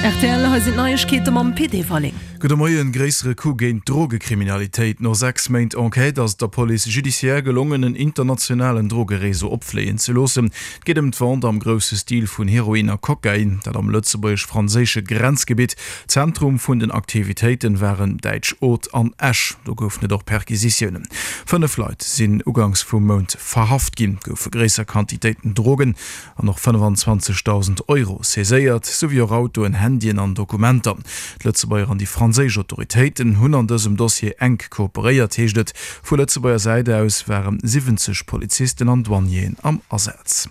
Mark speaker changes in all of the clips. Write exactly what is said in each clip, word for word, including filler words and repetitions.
Speaker 1: Rtl, hei sinn d'Neiegkeete mam Pit Everling.
Speaker 2: Gudde Moien, Gréissere Coup géint d'Drogekriminalitéit. No sechs Méint Enquête ass et der Police judiciaire gelongen, en internationalen Drogereseau opfléien ze loossen. Et geet ëm d'Vente am grousse Stil vun Heroin a Kokain, dat am lëtzebuergesch-franséische Grenzgebitt. Zentrum vun den Aktivitéiten waren däitsch Oth an Esch. Do goufen et och Perquisitiounen. Fënnef Leit sinn uganks vum Mount verhaft ginn, goufe gréisser Quantitéiten Drogen an och fënnefanzwanzegdausend Euro saiséiert, souwéi och Autoen, Handyen an Dokumenter. D'Lëtzebuerger an déi franséisch Autoritéiten hunn an dësem Dossier enk kooperéiert, heescht et. Vu Lëtzebuerger Säit aus ware siwwenzeg Polizisten an Douanieren am Asaz.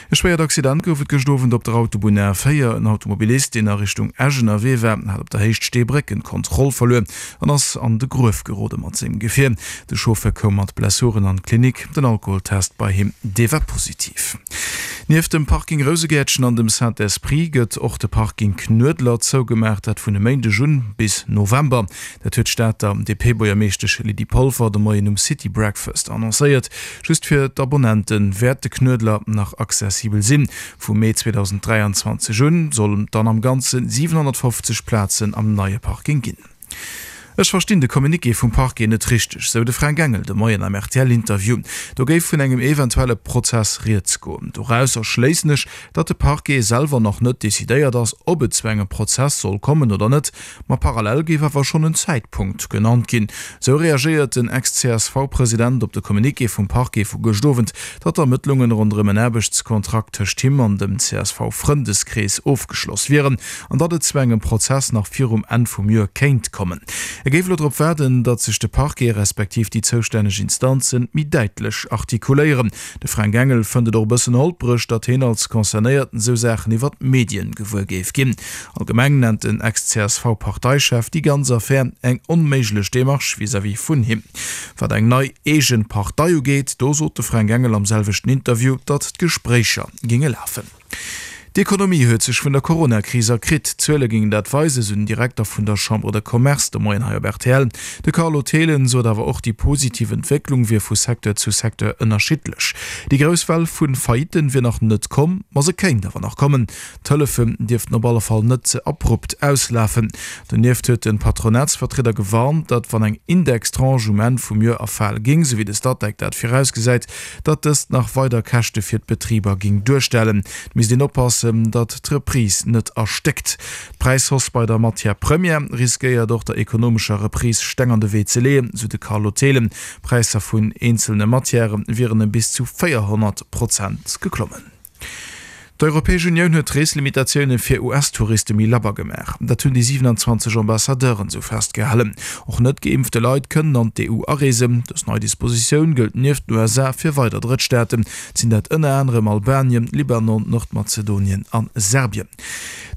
Speaker 2: E schwéiert Accident gouf et gëscht Owend op der Autobunn A véier. En Automobilist, deen a Richtung Esch ënnerwee war, hat op der Héicht Steebrécken d'Kontroll verluer an ass an de Gruef gerode mat sengem Gefier. De Chauffeur koum mat Blessuren an d'Klinik. Den Alkoholtest bei him, dee war positiv. Nieft dem Parking Rousegäertchen an dem Saint-Esprit gëtt och de Parking Knuedler zougemaach, dat vun e Méindeg un bis November. Dat huet d'Stater D P-Buergermeeschtesch Lydie Polfer de Moien um City Breakfast annoncéiert. Just fir d'Abonnente wäert de Knuedler nach accessibel sinn. Vum Mee zweedausend dräianzwanzeg un sollen et dann am Ganze siwenhonnertfofzeg Plazen am neie Parking ginn. Ech verstinn de Communiqué vum Parquet net richteg, sou de Fränk Engel de Moien am R T L-Interview. Do géif vun engem eventuelle Prozess rieds goen. Dorausser schléissen ech, datt de Parquet selwer nach net decidéiert ass, ob et zu engem Prozess soll kommen oder net. Ma parallel géif awer schonn en Zäitpunkt genannt ginn. Sou reagéiert den Ex-C S V-President op de Communiqué vum Parquet vu gëscht Owend, datt d'Ermëttlungen ronderëm en Aarbechtskontrakt tëscht him an dem C S V-Frëndeskrees ofgeschloss wieren an datt et zu engem Prozess nach virum Enn vum Joer kéint kommen. E géif elo drop waarden, datt sech de Parquet respektiv déi zoustänneg Instanzen méi däitlech artikuléieren. De Fränk Engel fënnt et och e bëssen holpreg, datt hien als Concernéierten esou Saachen iwwer d'Medien gewuer géif ginn. Allgemeng nennt den Ex-C S V-Parteichef déi ganz Affär eng onméiglech Demarche vis-à-vis vun him. Wat eng nei eegen Partei ugeet, do sot de Fränk Engel am selwechten Interview, datt d'Gespréicher géinge lafen. D'Ekonomie huet sech vun der Coronakris erkritt. D'Zuele géingen dat weisen, sou den Direkter vun der Chambre de Commerce de Moien hei op R T L. De Carlo Thelen sot awer och, déi positiv Entwécklung wier vu Secteur zu Secteur ënnerschiddlech. Déi grouss Well vu Faillitten wier nach net komm, ma se kéint awer nach kommen. D'Hëllefen dierften op alle Fall net ze abrupt auslafen. Donieft huet de Patronatsvertrieder gewarnt, datt wann eng Indextranche um Enn vum Joer erfale géing, sou wéi de Statec dat virausgesäit, datt dëst nach weider Käschte fir d'Betriber géing duerstellen. Et misst een oppassen, datt d'Reprise net erstéckt. D'Präishausse bei der Matière première riskéiert och der ekonomescher Reprise Steng an de Wee ze leeën, sou de Carlo Thelen. D'Präisser vun eenzelne Matièrë wieren ëm bis zu véierhonnert Prozent geklommen. D'Europäesch Unioun huet d'Reeslimitatioune fir U S-Touriste méi labber gemaach. Dat hunn déi siwenanzwanzeg Ambassadeuren esou festgehalen. Och net geimpfte Leit kënnen an d'E U areesen. Dës nei Dispositioun gëllt nieft den U S A fir weider Drëttstaaten. Et sinn dat ënner anerem Albanien, Libanon, Nordmazedonien a Serbien.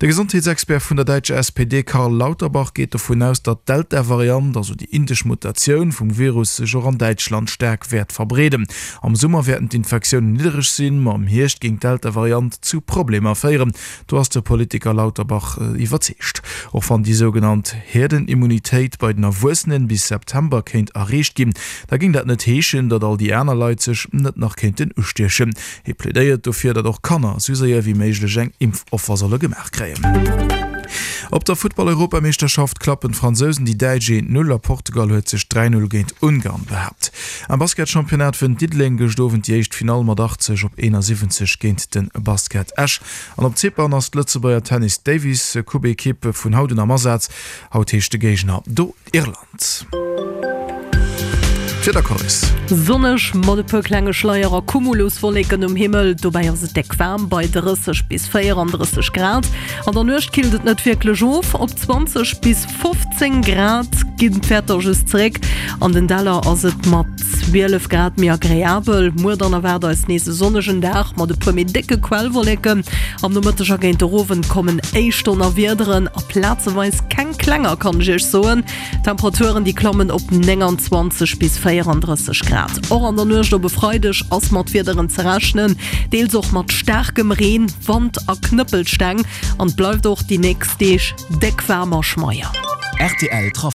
Speaker 2: De Gesondheetsexpert vun der däitscher S P D Karl Lauterbach geet dovun aus, datt d'Delta-Variant, also déi indesch Mutatioun vum Virus, sech och an Däitschland staark wäert verbreeden. Am Summer wäerten d'Infektiounen niddereg sinn, ma am Hierscht géing d'Delta-Variant zu Problemer féieren. Do ass de Politiker Lauterbach iwwerzeegt. Och wann déi sougenannt Herdenimmunitéit bei den Erwuessenen bis September kéint erreecht ginn, da géing dat net heeschen, datt all déi aner Leit sech net nach kéinten ustiechen. Hie plädéiert dofir, datt och Kanner sou séier wéi méiglech eng Impfoffer solle gemaach kréien. Op der Futtball-Europameeschterschaft klappen d'Fransousen déi Däitsch eent Null a Portugal huet sech dräi Null géint Ungarn behaapt. Am Basketchampionnat wënnt Diddeleng gëscht Owend déi éischt Finall mat achtzeg op eenasiwwenzeg géint de Basket Esch. An op Zypern ass d'Lëtzebuerger Tennis Davis Coupe Ekipp vun haut un am Asaz. Haut heescht de Géigner do Irland. D'Wiedercourse.
Speaker 1: Sonneg mat e puer klenge Schleier a Cumuluswolleken um Himmel, dobäi ass et déck waarm bei drësseg bis véierandrësseg Grad. An der Nuecht killt et net wierklech of, op zwanzeg bis fofzéng Grad ginn d'Wäerter just zeréck. An den Däller ass et mat zwielef Grad méi agreabel. Muer dann erwaart eis nees e sonnegen Dag mat e puer méi décke Quellwolleken. Am Nomëtteg a géint de Owend kommen éischt Donnerwiederen a plazeweis keng klenger, kann ech iech soen. D'Temperaturen déi klammen op nénganzwanzeg bis véierandrësseg Grad. Och an der Nuecht op e Freideg ass mat Wiederen ze rechnen, deels och mat staarkem Reen, Wand a Knëppelsteng. An et bleift och déi nächst Deeg déck waarm a schmeier.
Speaker 3: R T L Trafic.